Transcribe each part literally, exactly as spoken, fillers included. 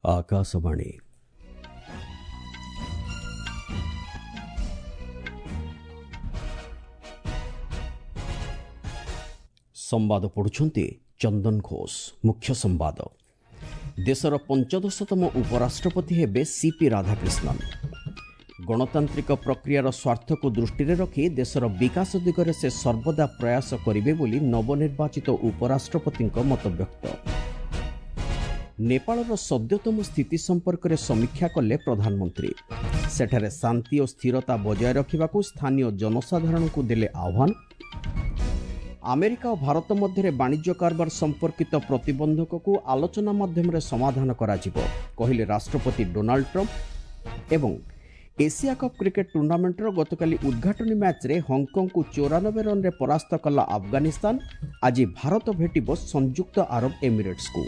ଆକାଶବାଣୀ। ସମ୍ବାଦ ପଢ଼ୁଛନ୍ତି ଚନ୍ଦନ ଘୋଷ। ମୁଖ୍ୟ ସମ୍ବାଦ। ଦେଶର ପଞ୍ଚଦଶତମ ଉପରାଷ୍ଟ୍ରପତି ହେବେ ସିପି ରାଧାକ୍ରିଷ୍ଣନ। ଗଣତାନ୍ତ୍ରିକ ପ୍ରକ୍ରିୟାର ସ୍ୱାର୍ଥକୁ ଦୃଷ୍ଟିରେ ରଖି ଦେଶର ବିକାଶ ଦିଗରେ ସେ ସର୍ବଦା ପ୍ରୟାସ କରିବେ ବୋଲି ନବନିର୍ବାଚିତ ଉପରାଷ୍ଟ୍ରପତିଙ୍କ ମତବ୍ୟକ୍ତ। ନେପାଳର ସଦ୍ୟତମ ସ୍ଥିତି ସମ୍ପର୍କରେ ସମୀକ୍ଷା କଲେ ପ୍ରଧାନମନ୍ତ୍ରୀ। ସେଠାରେ ଶାନ୍ତି ଓ ସ୍ଥିରତା ବଜାୟ ରଖିବାକୁ ସ୍ଥାନୀୟ ଜନସାଧାରଣଙ୍କୁ ଦେଲେ ଆହ୍ୱାନ। ଆମେରିକା ଓ ଭାରତ ମଧ୍ୟରେ ବାଣିଜ୍ୟ କାରବାର ସମ୍ପର୍କିତ ପ୍ରତିବନ୍ଧକକୁ ଆଲୋଚନା ମାଧ୍ୟମରେ ସମାଧାନ କରାଯିବ, କହିଲେ ରାଷ୍ଟ୍ରପତି ଡୋନାଲ୍ଡ ଟ୍ରମ୍ପ। ଏବଂ ଏସିଆ କପ୍ କ୍ରିକେଟ୍ ଟୁର୍ଣ୍ଣାମେଣ୍ଟର ଗତକାଲି ଉଦ୍ଘାଟନୀ ମ୍ୟାଚ୍ରେ ହଂକଂକୁ ଚଉରାନବେ ରନ୍ରେ ପରାସ୍ତ କଲା ଆଫଗାନିସ୍ତାନ। ଆଜି ଭାରତ ଭେଟିବ ସଂଯୁକ୍ତ ଆରବ ଏମିରେଟ୍ସକୁ।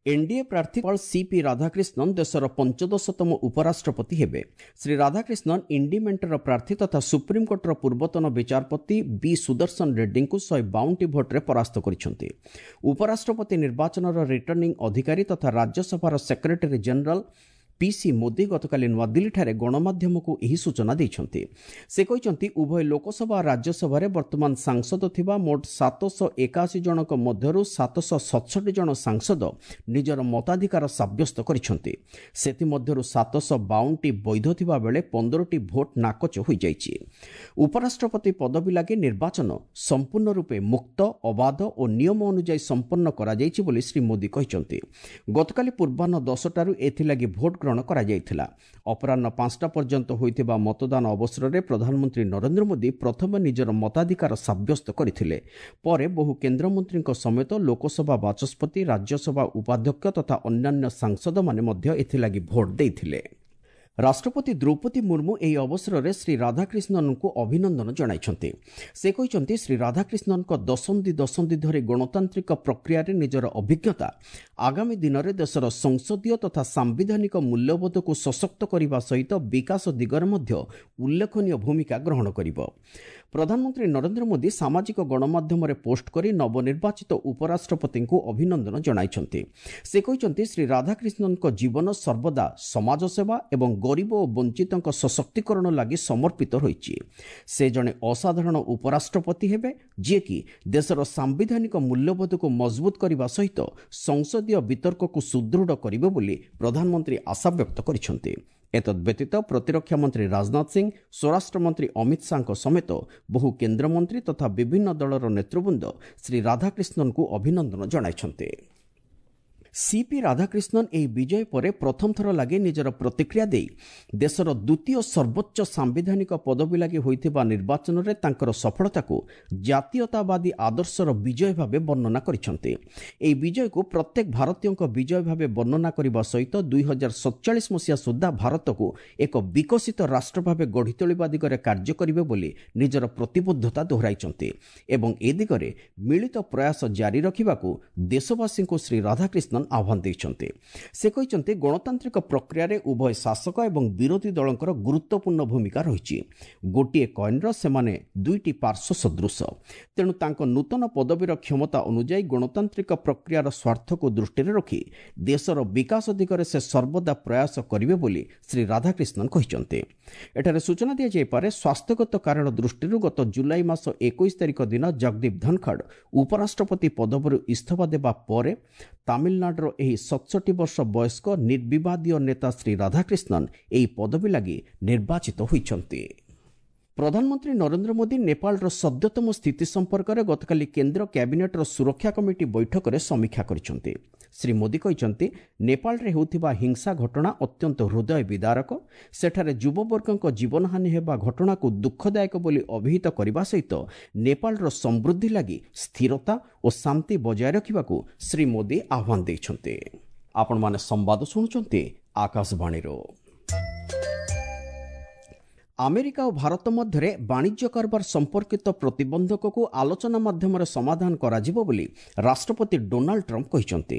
ଏନ୍ଡିଏ ପ୍ରାର୍ଥୀ ସିପି ରାଧାକ୍ରିଷ୍ଣନ ଦେଶର ପଞ୍ଚଦଶତମ ଉପରାଷ୍ଟ୍ରପତି ହେବେ। ଶ୍ରୀ ରାଧାକ୍ରିଷ୍ଣନ ଇଣ୍ଡି ମେଣ୍ଟର ପ୍ରାର୍ଥୀ ତଥା ସୁପ୍ରିମକୋର୍ଟର ପୂର୍ବତନ ବିଚାରପତି ବି ସୁଦର୍ଶନ ରେଡ୍ଡୀଙ୍କୁ ଶହେ ବାଉନଟି ଭୋଟ୍ରେ ପରାସ୍ତ କରିଛନ୍ତି। ଉପରାଷ୍ଟ୍ରପତି ନିର୍ବାଚନର ରିଟର୍ଣ୍ଣିଂ ଅଧିକାରୀ ତଥା ରାଜ୍ୟସଭାର ସେକ୍ରେଟାରୀ ଜେନେରାଲ ପିସି ମୋଦି ଗତକାଲି ନୂଆଦିଲ୍ଲୀଠାରେ ଗଣମାଧ୍ୟମକୁ ଏହି ସୂଚନା ଦେଇଛନ୍ତି। ସେ କହିଛନ୍ତି, ଉଭୟ ଲୋକସଭା ଓ ରାଜ୍ୟସଭାରେ ବର୍ତ୍ତମାନ ସାଂସଦ ଥିବା ମୋଟ ସାତଶହ ଏକାଅଶୀ ଜଣଙ୍କ ମଧ୍ୟରୁ ସାତଶହ ସତଷଠି ଜଣ ସାଂସଦ ନିଜର ମତାଧିକାର ସାବ୍ୟସ୍ତ କରିଛନ୍ତି। ସେଥିମଧ୍ୟରୁ ସାତଶହ ବାଉନଟି ବୈଧ ଥିବା ବେଳେ ପନ୍ଦରଟି ଭୋଟ୍ ନାକଚ ହୋଇଯାଇଛି। ଉପରାଷ୍ଟ୍ରପତି ପଦବୀ ଲାଗି ନିର୍ବାଚନ ସମ୍ପୂର୍ଣ୍ଣ ରୂପେ ମୁକ୍ତ, ଅବାଧ ଓ ନିୟମ ଅନୁଯାୟୀ ସମ୍ପନ୍ନ କରାଯାଇଛି ବୋଲି ଶ୍ରୀ ମୋଦି କହିଛନ୍ତି। ଗତକାଲି ପୂର୍ବାହ୍ନ ଦଶଟାରୁ ଏଥିଲାଗି ଭୋଟ୍ ଗ୍ରହଣ କରାଯାଇଥିଲା। ଅପରାହ୍ନ ପାଞ୍ଚଟା ପର୍ଯ୍ୟନ୍ତ ହୋଇଥିବା ମତଦାନ ଅବସରରେ ପ୍ରଧାନମନ୍ତ୍ରୀ ନରେନ୍ଦ୍ର ମୋଦି ପ୍ରଥମେ ନିଜର ମତାଧିକାର ସାବ୍ୟସ୍ତ କରିଥିଲେ। ପରେ ବହୁ କେନ୍ଦ୍ରମନ୍ତ୍ରୀଙ୍କ ସମେତ ଲୋକସଭା ବାଚସ୍ପତି, ରାଜ୍ୟସଭା ଉପାଧ୍ୟକ୍ଷ ତଥା ଅନ୍ୟାନ୍ୟ ସାଂସଦମାନେ ମଧ୍ୟ ଏଥିଲାଗି ଭୋଟ୍ ଦେଇଥିଲେ। ରାଷ୍ଟ୍ରପତି ଦ୍ରୌପଦୀ ମୁର୍ମୁ ଏହି ଅବସରରେ ଶ୍ରୀ ରାଧାକ୍ରିଷ୍ଣନଙ୍କୁ ଅଭିନନ୍ଦନ ଜଣାଇଛନ୍ତି। ସେ କହିଛନ୍ତି, ଶ୍ରୀ ରାଧାକ୍ରିଷ୍ଣନଙ୍କ ଦଶନ୍ଧି ଦଶନ୍ଧି ଧରି ଗଣତାନ୍ତ୍ରିକ ପ୍ରକ୍ରିୟାରେ ନିଜର ଅଭିଜ୍ଞତା ଆଗାମୀ ଦିନରେ ଦେଶର ସଂସଦୀୟ ତଥା ସାମ୍ବିଧାନିକ ମୂଲ୍ୟବୋଧକୁ ସଶକ୍ତ କରିବା ସହିତ ବିକାଶ ଦିଗରେ ମଧ୍ୟ ଉଲ୍ଲେଖନୀୟ ଭୂମିକା ଗ୍ରହଣ କରିବ। ପ୍ରଧାନମନ୍ତ୍ରୀ ନରେନ୍ଦ୍ର ମୋଦି ସାମାଜିକ ଗଣମାଧ୍ୟମରେ ପୋଷ୍ଟ କରି ନବନିର୍ବାଚିତ ଉପରାଷ୍ଟ୍ରପତିଙ୍କୁ ଅଭିନନ୍ଦନ ଜଣାଇଛନ୍ତି। ସେ କହିଛନ୍ତି, ଶ୍ରୀ ରାଧାକ୍ରିଷ୍ଣନଙ୍କ ଜୀବନ ସର୍ବଦା ସମାଜସେବା ଏବଂ ଗରିବ ଓ ବଞ୍ଚିତଙ୍କ ସଶକ୍ତିକରଣ ଲାଗି ସମର୍ପିତ ରହିଛି। ସେ ଜଣେ ଅସାଧାରଣ ଉପରାଷ୍ଟ୍ରପତି ହେବେ, ଯିଏକି ଦେଶର ସାମ୍ବିଧାନିକ ମୂଲ୍ୟବୋଧକୁ ମଜବୁତ କରିବା ସହିତ ସଂସଦୀୟ ବିତର୍କକୁ ସୁଦୃଢ଼ କରିବେ ବୋଲି ପ୍ରଧାନମନ୍ତ୍ରୀ ଆଶାବ୍ୟକ୍ତ କରିଛନ୍ତି। ଏତଦ୍ବ୍ୟତୀତ ପ୍ରତିରକ୍ଷା ମନ୍ତ୍ରୀ ରାଜନାଥ ସିଂ, ସ୍ୱରାଷ୍ଟ୍ରମନ୍ତ୍ରୀ ଅମିତ ଶାହାଙ୍କ ସମେତ ବହୁ କେନ୍ଦ୍ରମନ୍ତ୍ରୀ ତଥା ବିଭିନ୍ନ ଦଳର ନେତୃବୃନ୍ଦ ଶ୍ରୀ ରାଧାକ୍ରିଷ୍ଣନଙ୍କୁ ଅଭିନନ୍ଦନ ଜଣାଇଛନ୍ତି। ସିପି ରାଧାକ୍ରିଷ୍ଣନ ଏହି ବିଜୟ ପରେ ପ୍ରଥମ ଥର ଲାଗି ନିଜର ପ୍ରତିକ୍ରିୟା ଦେଇ ଦେଶର ଦ୍ୱିତୀୟ ସର୍ବୋଚ୍ଚ ସାମ୍ବିଧାନିକ ପଦବୀ ଲାଗି ହୋଇଥିବା ନିର୍ବାଚନରେ ତାଙ୍କର ସଫଳତାକୁ ଜାତୀୟତାବାଦୀ ଆଦର୍ଶର ବିଜୟ ଭାବେ ବର୍ଣ୍ଣନା କରିଛନ୍ତି। ଏହି ବିଜୟକୁ ପ୍ରତ୍ୟେକ ଭାରତୀୟଙ୍କ ବିଜୟ ଭାବେ ବର୍ଣ୍ଣନା କରିବା ସହିତ ଦୁଇ ହଜାର ସତଚାଳିଶ ମସିହା ସୁଦ୍ଧା ଭାରତକୁ ଏକ ବିକଶିତ ରାଷ୍ଟ୍ର ଭାବେ ଗଢ଼ି ତୋଳିବା ଦିଗରେ କାର୍ଯ୍ୟ କରିବେ ବୋଲି ନିଜର ପ୍ରତିବଦ୍ଧତା ଦୋହରାଇଛନ୍ତି ଏବଂ ଏ ଦିଗରେ ମିଳିତ ପ୍ରୟାସ ଜାରି ରଖିବାକୁ ଦେଶବାସୀଙ୍କୁ ଶ୍ରୀ ରାଧାକ୍ରିଷ୍ଣନ ଆହ୍ୱାନ ଦେଇଛନ୍ତି। ସେ କହିଛନ୍ତି, ଗଣତାନ୍ତ୍ରିକ ପ୍ରକ୍ରିୟାରେ ଉଭୟ ଶାସକ ଏବଂ ବିରୋଧୀ ଦଳଙ୍କର ଗୁରୁତ୍ୱପୂର୍ଣ୍ଣ ଭୂମିକା ରହିଛି। ଗୋଟିଏ କଏନ୍ର ସେମାନେ ଦୁଇଟି ପାର୍ଶ୍ୱ ସଦୃଶ। ତେଣୁ ତାଙ୍କ ନୂତନ ପଦବୀର କ୍ଷମତା ଅନୁଯାୟୀ ଗଣତାନ୍ତ୍ରିକ ପ୍ରକ୍ରିୟାର ସ୍ୱାର୍ଥକୁ ଦୃଷ୍ଟିରେ ରଖି ଦେଶର ବିକାଶ ଦିଗରେ ସେ ସର୍ବଦା ପ୍ରୟାସ କରିବେ ବୋଲି ଶ୍ରୀ ରାଧାକ୍ରିଷ୍ଣନ କହିଛନ୍ତି। ଏଠାରେ ସୂଚନା ଦିଆଯାଇପାରେ, ସ୍ୱାସ୍ଥ୍ୟଗତ କାରଣ ଦୃଷ୍ଟିରୁ ଗତ ଜୁଲାଇ ମାସ ଏକୋଇଶ ତାରିଖ ଦିନ ଜଗଦୀପ ଧନଖଡ଼ ଉପରାଷ୍ଟ୍ରପତି ପଦବୀରୁ ଇସ୍ତଫା ଦେବା ପରେ ତାମିଲନାଡୁର ଏହି ସତଷଠି ବର୍ଷ ବୟସ୍କ ନିର୍ବିବାଦୀୟ ନେତା ଶ୍ରୀ ରାଧାକ୍ରିଷ୍ଣନ ଏହି ପଦବୀ ଲାଗି ନିର୍ବାଚିତ ହୋଇଛନ୍ତି। ପ୍ରଧାନମନ୍ତ୍ରୀ ନରେନ୍ଦ୍ର ମୋଦି ନେପାଳର ସଦ୍ୟତମ ସ୍ଥିତି ସମ୍ପର୍କରେ ଗତକାଲି କେନ୍ଦ୍ର କ୍ୟାବିନେଟ୍ର ସୁରକ୍ଷା କମିଟି ବୈଠକରେ ସମୀକ୍ଷା କରିଛନ୍ତି। ଶ୍ରୀ ମୋଦି କହିଛନ୍ତି, ନେପାଳରେ ହେଉଥିବା ହିଂସା ଘଟଣା ଅତ୍ୟନ୍ତ ହୃଦୟ ବିଦାରକ। ସେଠାରେ ଯୁବବର୍ଗଙ୍କ ଜୀବନହାନି ହେବା ଘଟଣାକୁ ଦୁଃଖଦାୟକ ବୋଲି ଅଭିହିତ କରିବା ସହିତ ନେପାଳର ସମୃଦ୍ଧି ଲାଗି ସ୍ଥିରତା ଓ ଶାନ୍ତି ବଜାୟ ରଖିବାକୁ ଶ୍ରୀ ମୋଦି ଆହ୍ୱାନ ଦେଇଛନ୍ତି। ଆପଣମାନେ ସମ୍ବାଦ ଶୁଣୁଛନ୍ତି ଆକାଶବାଣୀରୁ। ଆମେରିକା ଓ ଭାରତ ମଧ୍ୟରେ ବାଣିଜ୍ୟ କାରବାର ସମ୍ପର୍କିତ ପ୍ରତିବନ୍ଧକକୁ ଆଲୋଚନା ମାଧ୍ୟମରେ ସମାଧାନ କରାଯିବ ବୋଲି ରାଷ୍ଟ୍ରପତି ଡୋନାଲ୍ଡ ଟ୍ରମ୍ପ କହିଛନ୍ତି।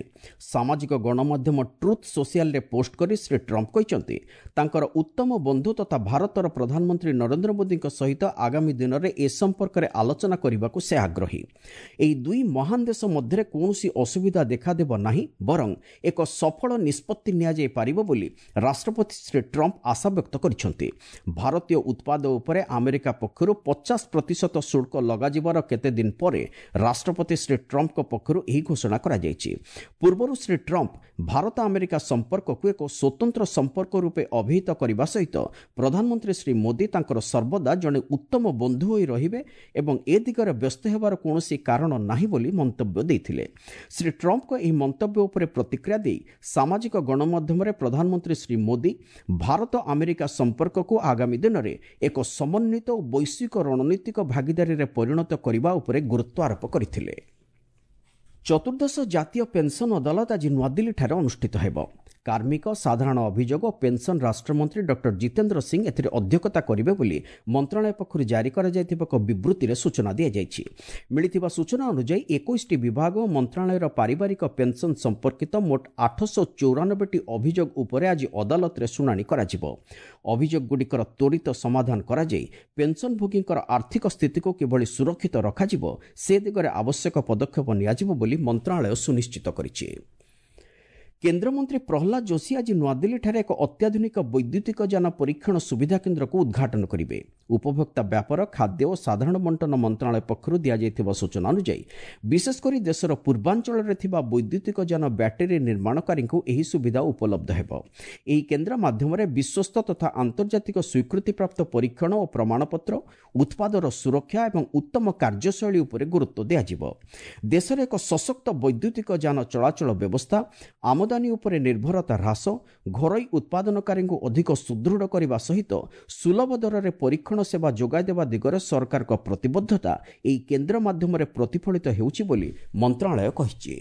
ସାମାଜିକ ଗଣମାଧ୍ୟମ ଟ୍ରୁଥ୍ ସୋସିଆଲରେ ପୋଷ୍ଟ କରି ଶ୍ରୀ ଟ୍ରମ୍ପ କହିଛନ୍ତି, ତାଙ୍କର ଉତ୍ତମ ବନ୍ଧୁ ତଥା ଭାରତର ପ୍ରଧାନମନ୍ତ୍ରୀ ନରେନ୍ଦ୍ର ମୋଦିଙ୍କ ସହିତ ଆଗାମୀ ଦିନରେ ଏ ସମ୍ପର୍କରେ ଆଲୋଚନା କରିବାକୁ ସେ ଆଗ୍ରହୀ। ଏହି ଦୁଇ ମହାନ ଦେଶ ମଧ୍ୟରେ କୌଣସି ଅସୁବିଧା ଦେଖାଦେବ ନାହିଁ, ବରଂ ଏକ ସଫଳ ନିଷ୍ପତ୍ତି ନିଆଯାଇପାରିବ ବୋଲି ରାଷ୍ଟ୍ରପତି ଶ୍ରୀ ଟ୍ରମ୍ପ ଆଶାବ୍ୟକ୍ତ କରିଛନ୍ତି। ଭାରତୀୟ ଉତ୍ପାଦ ଉପରେ ଆମେରିକା ପକ୍ଷରୁ ପଚାଶ ପ୍ରତିଶତ ଶୁଳ୍କ ଲଗାଯିବାର କେତେଦିନ ପରେ ରାଷ୍ଟ୍ରପତି ଶ୍ରୀ ଟ୍ରମ୍ପଙ୍କ ପକ୍ଷରୁ ଏହି ଘୋଷଣା କରାଯାଇଛି। ପୂର୍ବରୁ ଶ୍ରୀ ଟ୍ରମ୍ପ ଭାରତ ଆମେରିକା ସମ୍ପର୍କକୁ ଏକ ସ୍ୱତନ୍ତ୍ର ସମ୍ପର୍କ ରୂପେ ଅଭିହିତ କରିବା ସହିତ ପ୍ରଧାନମନ୍ତ୍ରୀ ଶ୍ରୀ ମୋଦି ତାଙ୍କର ସର୍ବଦା ଜଣେ ଉତ୍ତମ ବନ୍ଧୁ ହୋଇ ରହିବେ ଏବଂ ଏ ଦିଗରେ ବ୍ୟସ୍ତ ହେବାର କୌଣସି କାରଣ ନାହିଁ ବୋଲି ମନ୍ତବ୍ୟ ଦେଇଥିଲେ। ଶ୍ରୀ ଟ୍ରମ୍ପଙ୍କ ଏହି ମନ୍ତବ୍ୟ ଉପରେ ପ୍ରତିକ୍ରିୟା ଦେଇ ସାମାଜିକ ଗଣମାଧ୍ୟମରେ ପ୍ରଧାନମନ୍ତ୍ରୀ ଶ୍ରୀ ମୋଦି ଭାରତ ଆମେରିକା ସମ୍ପର୍କକୁ ଆଗାମୀ ଦିନରେ ଏକ ସମନ୍ୱିତ ଓ ବୈଶ୍ୱିକ ରଣନୀତିକ ଭାଗିଦାରୀରେ ପରିଣତ କରିବା ଉପରେ ଗୁରୁତ୍ୱ ଆରୋପ କରିଥିଲେ। ଚତୁର୍ଦ୍ଦଶ ଜାତୀୟ ପେନ୍ସନ୍ ଅଦାଲତ ଆଜି ନୂଆଦିଲ୍ଲୀଠାରେ ଅନୁଷ୍ଠିତ ହେବ। କାର୍ମିକ, ସାଧାରଣ ଅଭିଯୋଗ ଓ ପେନ୍ସନ୍ ରାଷ୍ଟ୍ରମନ୍ତ୍ରୀ ଡକ୍ଟର ଜିତେନ୍ଦ୍ର ସିଂ ଏଥିରେ ଅଧ୍ୟକ୍ଷତା କରିବେ ବୋଲି ମନ୍ତ୍ରଣାଳୟ ପକ୍ଷରୁ ଜାରି କରାଯାଇଥିବା ଏକ ବିବୃତ୍ତିରେ ସୂଚନା ଦିଆଯାଇଛି। ମିଳିଥିବା ସୂଚନା ଅନୁଯାୟୀ ଏକୋଇଶଟି ବିଭାଗ ଓ ମନ୍ତ୍ରଣାଳୟର ପାରିବାରିକ ପେନ୍ସନ୍ ସମ୍ପର୍କିତ ମୋଟ ଆଠଶହ ଚଉରାନବେଟି ଅଭିଯୋଗ ଉପରେ ଆଜି ଅଦାଲତରେ ଶୁଣାଣି କରାଯିବ। ଅଭିଯୋଗଗୁଡ଼ିକର ତ୍ୱରିତ ସମାଧାନ କରାଯାଇ ପେନ୍ସନ୍ଭୋଗୀଙ୍କର ଆର୍ଥିକ ସ୍ଥିତିକୁ କିଭଳି ସୁରକ୍ଷିତ ରଖାଯିବ ସେ ଦିଗରେ ଆବଶ୍ୟକ ପଦକ୍ଷେପ ନିଆଯିବ ବୋଲି ମନ୍ତ୍ରଣାଳୟ ସୁନିଶ୍ଚିତ କରିଛି। କେନ୍ଦ୍ରମନ୍ତ୍ରୀ ପ୍ରହ୍ଲାଦ ଯୋଶୀ ଆଜି ନୂଆଦିଲ୍ଲୀଠାରେ ଏକ ଅତ୍ୟାଧୁନିକ ବୈଦ୍ୟୁତିକ ଯାନ ପରୀକ୍ଷଣ ସୁବିଧା କେନ୍ଦ୍ରକୁ ଉଦ୍ଘାଟନ କରିବେ। ଉପଭୋକ୍ତା ବ୍ୟାପାର, ଖାଦ୍ୟ ଓ ସାଧାରଣ ବଣ୍ଟନ ମନ୍ତ୍ରଣାଳୟ ପକ୍ଷରୁ ଦିଆଯାଇଥିବା ସୂଚନା ଅନୁଯାୟୀ ବିଶେଷ କରି ଦେଶର ପୂର୍ବାଞ୍ଚଳରେ ଥିବା ବୈଦ୍ୟୁତିକ ଯାନ ବ୍ୟାଟେରୀ ନିର୍ମାଣକାରୀଙ୍କୁ ଏହି ସୁବିଧା ଉପଲବ୍ଧ ହେବ। ଏହି କେନ୍ଦ୍ର ମାଧ୍ୟମରେ ବିଶ୍ୱସ୍ତ ତଥା ଆନ୍ତର୍ଜାତିକ ସ୍ୱୀକୃତିପ୍ରାପ୍ତ ପରୀକ୍ଷଣ ଓ ପ୍ରମାଣପତ୍ର, ଉତ୍ପାଦର ସୁରକ୍ଷା ଏବଂ ଉତ୍ତମ କାର୍ଯ୍ୟଶୈଳୀ ଉପରେ ଗୁରୁତ୍ୱ ଦିଆଯିବ। ଦେଶରେ ଏକ ସଶକ୍ତ ବୈଦ୍ୟୁତିକ ଯାନ ଚଳାଚଳ ବ୍ୟବସ୍ଥା, ଆମଦାନୀ ଉପରେ ନିର୍ଭରତା ହ୍ରାସ, ଘରୋଇ ଉତ୍ପାଦନକାରୀଙ୍କୁ ଅଧିକ ସୁଦୃଢ଼ କରିବା ସହିତ ସୁଲଭ ଦରରେ ପରୀକ୍ଷଣ ସେବା ଯୋଗାଇଦେବା ଦିଗରେ ସରକାରଙ୍କ ପ୍ରତିବଦ୍ଧତା ଏହି କେନ୍ଦ୍ର ମାଧ୍ୟମରେ ପ୍ରତିଫଳିତ ହେଉଛି ବୋଲି ମନ୍ତ୍ରଣାଳୟ କହିଛି।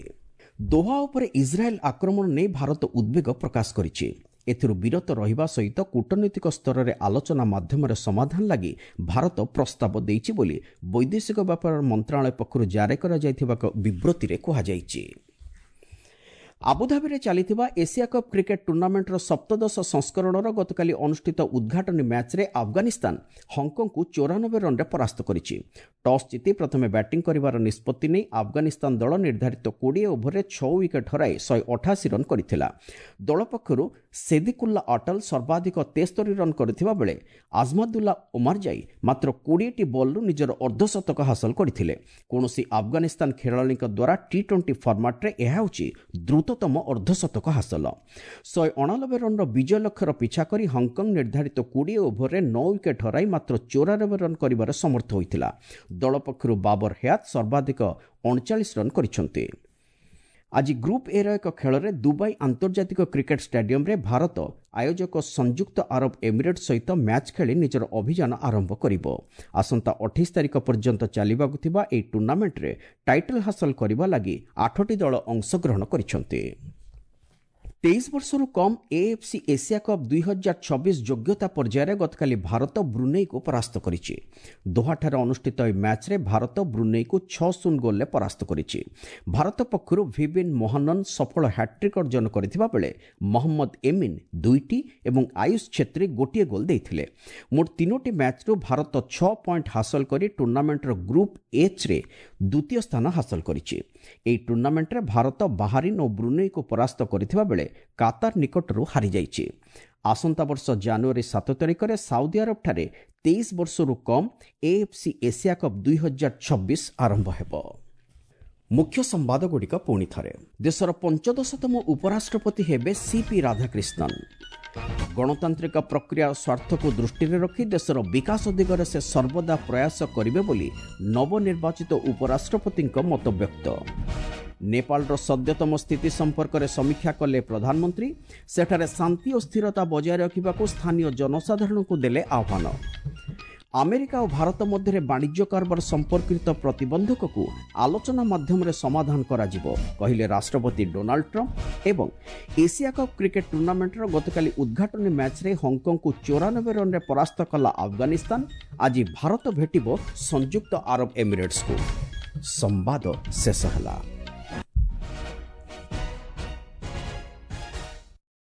ଦୋହା ଉପରେ ଇସ୍ରାଏଲ୍ ଆକ୍ରମଣ ନେଇ ଭାରତ ଉଦ୍ବେଗ ପ୍ରକାଶ କରିଛି। ଏଥିରୁ ବିରତ ରହିବା ସହିତ କୂଟନୈତିକ ସ୍ତରରେ ଆଲୋଚନା ମାଧ୍ୟମରେ ସମାଧାନ ଲାଗି ଭାରତ ପ୍ରସ୍ତାବ ଦେଇଛି ବୋଲି ବୈଦେଶିକ ବ୍ୟାପାର ମନ୍ତ୍ରଣାଳୟ ପକ୍ଷରୁ ଜାରି କରାଯାଇଥିବା ଏକ ବିବୃତ୍ତିରେ କୁହାଯାଇଛି। ଆବୁଧାବିରେ ଚାଲିଥିବା ଏସିଆ କପ୍ କ୍ରିକେଟ୍ ଟୁର୍ଣ୍ଣାମେଣ୍ଟର ସପ୍ତଦଶ ସଂସ୍କରଣର ଗତକାଲି ଅନୁଷ୍ଠିତ ଉଦ୍ଘାଟନୀ ମ୍ୟାଚ୍ରେ ଆଫଗାନିସ୍ତାନ ହଂକଂକୁ ଚଉରାନବେ ରନ୍ରେ ପରାସ୍ତ କରିଛି। ଟସ୍ ଜିତି ପ୍ରଥମେ ବ୍ୟାଟିଂ କରିବାର ନିଷ୍ପତ୍ତି ନେଇ ଆଫଗାନିସ୍ତାନ ଦଳ ନିର୍ଦ୍ଧାରିତ କୋଡ଼ିଏ ଓଭରରେ ଛଅ ୱିକେଟ୍ ହରାଇ ଶହେ ଅଠାଅଶୀ ରନ୍ କରିଥିଲା। ଦଳ ପକ୍ଷରୁ ସେଦିକୁଲ୍ଲା ଅଟଲ ସର୍ବାଧିକ ତେସ୍ତରୀ ରନ୍ କରିଥିବା ବେଳେ ଆଜମାଦୁଲ୍ଲା ଓମାରଜାଇ ମାତ୍ର କୋଡ଼ିଏଟି ବଲ୍ରୁ ନିଜର ଅର୍ଦ୍ଧଶତକ ହାସଲ କରିଥିଲେ। କୌଣସି ଆଫଗାନିସ୍ତାନ ଖେଳାଳିଙ୍କ ଦ୍ୱାରା ଟି ଟ୍ୱେଣ୍ଟି ଫର୍ମାଟ୍ରେ ଏହା ହେଉଛି ଦ୍ରୁତତମ ଅର୍ଦ୍ଧଶତକ ହାସଲ। ଶହେ ଅଣାନବେ ରନ୍ର ବିଜୟ ଲକ୍ଷ୍ୟର ପିଛା କରି ହଂକଂ ନିର୍ଦ୍ଧାରିତ କୋଡ଼ିଏ ଓଭରରେ ନଅ ୱିକେଟ୍ ହରାଇ ମାତ୍ର ଚଉରାନବେ ରନ୍ କରିବାରେ ସମର୍ଥ ହୋଇଥିଲା। ଦଳ ପକ୍ଷରୁ ବାବର ହୟାତ ସର୍ବାଧିକ ଅଣଚାଳିଶ ରନ୍ କରିଛନ୍ତି। ଆଜି ଗ୍ରୁପ୍ ଏର ଏକ ଖେଳରେ ଦୁବାଇ ଆନ୍ତର୍ଜାତିକ କ୍ରିକେଟ୍ ଷ୍ଟାଡିୟମରେ ଭାରତ ଆୟୋଜକ ସଂଯୁକ୍ତ ଆରବ ଏମିରେଟ୍ ସହିତ ମ୍ୟାଚ୍ ଖେଳି ନିଜର ଅଭିଯାନ ଆରମ୍ଭ କରିବ। ଆସନ୍ତା ଅଠେଇଶ ତାରିଖ ପର୍ଯ୍ୟନ୍ତ ଚାଲିବାକୁ ଥିବା ଏହି ଟୁର୍ଣ୍ଣାମେଣ୍ଟରେ ଟାଇଟଲ୍ ହାସଲ କରିବା ଲାଗି ଆଠଟି ଦଳ ଅଂଶଗ୍ରହଣ କରିଛନ୍ତି। ତେଇଶ ବର୍ଷରୁ କମ୍ ଏଏଫ୍ସି ଏସିଆ କପ୍ ଦୁଇ ହଜାର ଛବିଶ ଯୋଗ୍ୟତା ପର୍ଯ୍ୟାୟରେ ଗତକାଲି ଭାରତ ବ୍ରୁନେଇକୁ ପରାସ୍ତ କରିଛି। ଦୋହାଠାରେ ଅନୁଷ୍ଠିତ ଏହି ମ୍ୟାଚ୍ରେ ଭାରତ ବ୍ରୁନେଇକୁ ଛଅ ଶୂନ ଗୋଲ୍ରେ ପରାସ୍ତ କରିଛି। ଭାରତ ପକ୍ଷରୁ ଭିବିନ୍ ମୋହନନ୍ ସଫଳ ହ୍ୟାଟ୍ରିକ୍ ଅର୍ଜନ କରିଥିବା ବେଳେ ମହମ୍ମଦ ଏମିନ୍ ଦୁଇଟି ଏବଂ ଆୟୁଷ ଛେତ୍ରୀ ଗୋଟିଏ ଗୋଲ୍ ଦେଇଥିଲେ। ମୋଟ ତିନୋଟି ମ୍ୟାଚ୍ରୁ ଭାରତ ଛଅ ପଏଣ୍ଟ ହାସଲ କରି ଟୁର୍ଣ୍ଣାମେଣ୍ଟର ଗ୍ରୁପ୍ ଏଚ୍ରେ ଦ୍ୱିତୀୟ ସ୍ଥାନ ହାସଲ କରିଛି। ଏହି ଟୁର୍ଣ୍ଣାମେଣ୍ଟରେ ଭାରତ ବାହାରିନ୍ ଓ ବ୍ରୁନେଇକୁ ପରାସ୍ତ କରିଥିବା ବେଳେ କାତାର ନିକଟରୁ ହାରିଯାଇଛି। ଆସନ୍ତା ବର୍ଷ ଜାନୁଆରୀ ସାତ ତାରିଖରେ ସାଉଦି ଆରବଠାରେ ତେଇଶ ବର୍ଷରୁ କମ୍ ଏଏଫ୍ସି ଏସିଆ କପ୍ ଦୁଇ ହଜାର ଛବିଶ ଆରମ୍ଭ ହେବ। ମୁଖ୍ୟ ସମ୍ବାଦଗୁଡ଼ିକ ପୁଣି ଥରେ। ଦେଶର ପଞ୍ଚଦଶତମ ଉପରାଷ୍ଟ୍ରପତି ହେବେ ସିପି ରାଧାକ୍ରିଷ୍ଣନ୍। ଗଣତାନ୍ତ୍ରିକ ପ୍ରକ୍ରିୟାର ସ୍ୱାର୍ଥକୁ ଦୃଷ୍ଟିରେ ରଖି ଦେଶର ବିକାଶ ଦିଗରେ ସେ ସର୍ବଦା ପ୍ରୟାସ କରିବେ ବୋଲି ନବନିର୍ବାଚିତ ଉପରାଷ୍ଟ୍ରପତିଙ୍କ ମତବ୍ୟକ୍ତ। ନେପାଳର ସଦ୍ୟତମ ସ୍ଥିତି ସମ୍ପର୍କରେ ସମୀକ୍ଷା କଲେ ପ୍ରଧାନମନ୍ତ୍ରୀ। ସେଠାରେ ଶାନ୍ତି ଓ ସ୍ଥିରତା ବଜାୟ ରଖିବାକୁ ସ୍ଥାନୀୟ ଜନସାଧାରଣଙ୍କୁ ଦେଲେ ଆହ୍ୱାନ। ଆମେରିକା ଓ ଭାରତ ମଧ୍ୟରେ ବାଣିଜ୍ୟ କାରବାର ସମ୍ପର୍କିତ ପ୍ରତିବନ୍ଧକକୁ ଆଲୋଚନା ମାଧ୍ୟମରେ ସମାଧାନ କରାଯିବ, କହିଲେ ରାଷ୍ଟ୍ରପତି ଡୋନାଲ୍ଡ ଟ୍ରମ୍ପ। ଏବଂ ଏସିଆ କପ୍ କ୍ରିକେଟ୍ ଟୁର୍ଣ୍ଣାମେଣ୍ଟର ଗତକାଲି ଉଦ୍ଘାଟନୀ ମ୍ୟାଚ୍ରେ ହଂକଂକୁ ଚଉରାନବେ ରନ୍ରେ ପରାସ୍ତ କଲା ଆଫଗାନିସ୍ତାନ। ଆଜି ଭାରତ ଭେଟିବ ସଂଯୁକ୍ତ ଆରବ ଏମିରେଟ୍ସକୁ। ସମ୍ବାଦ ଶେଷ ହେଲା।